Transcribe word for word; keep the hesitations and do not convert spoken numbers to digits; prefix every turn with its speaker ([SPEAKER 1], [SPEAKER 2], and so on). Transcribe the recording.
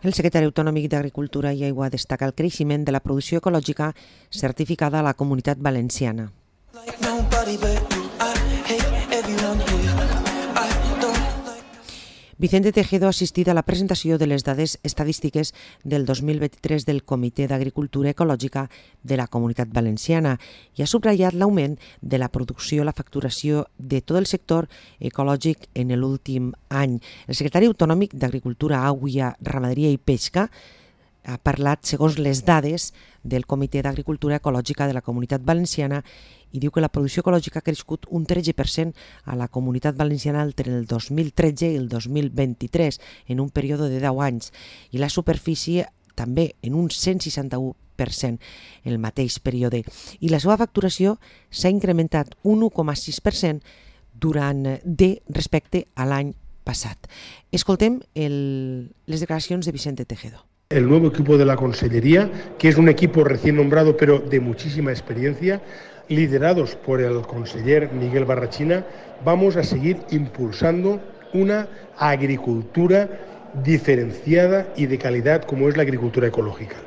[SPEAKER 1] El secretari autonòmic d'Agricultura i Aigua destaca el creixement de la producció ecològica certificada a la Comunitat Valenciana. Vicente Tejedo ha assistit a la presentació de les dades estadístiques del dos mil vint-i-tres del Comitè d'Agricultura Ecològica de la Comunitat Valenciana i ha subratllat l'augment de la producció i la facturació de tot el sector ecològic en l'últim any. El secretari autonòmic d'Agricultura, Aigua, Ramaderia i Pesca ha parlat segons les dades del Comitè d'Agricultura Ecològica de la Comunitat Valenciana i diu que la producció ecològica ha crescut un tretze per cent a la Comunitat Valenciana entre el dos mil tretze i el dos mil vint-i-tres, en un període de deu anys, i la superfície també en un cent seixanta-u per cent en el mateix període. I la seva facturació s'ha incrementat un u coma sis per cent durant de respecte a l'any passat. Escoltem el, les declaracions de Vicente Tejedo.
[SPEAKER 2] El nuevo equipo de la Consellería, que es un equipo recién nombrado pero de muchísima experiencia, liderados por el conseller Miguel Barrachina, vamos a seguir impulsando una agricultura diferenciada y de calidad como es la agricultura ecológica.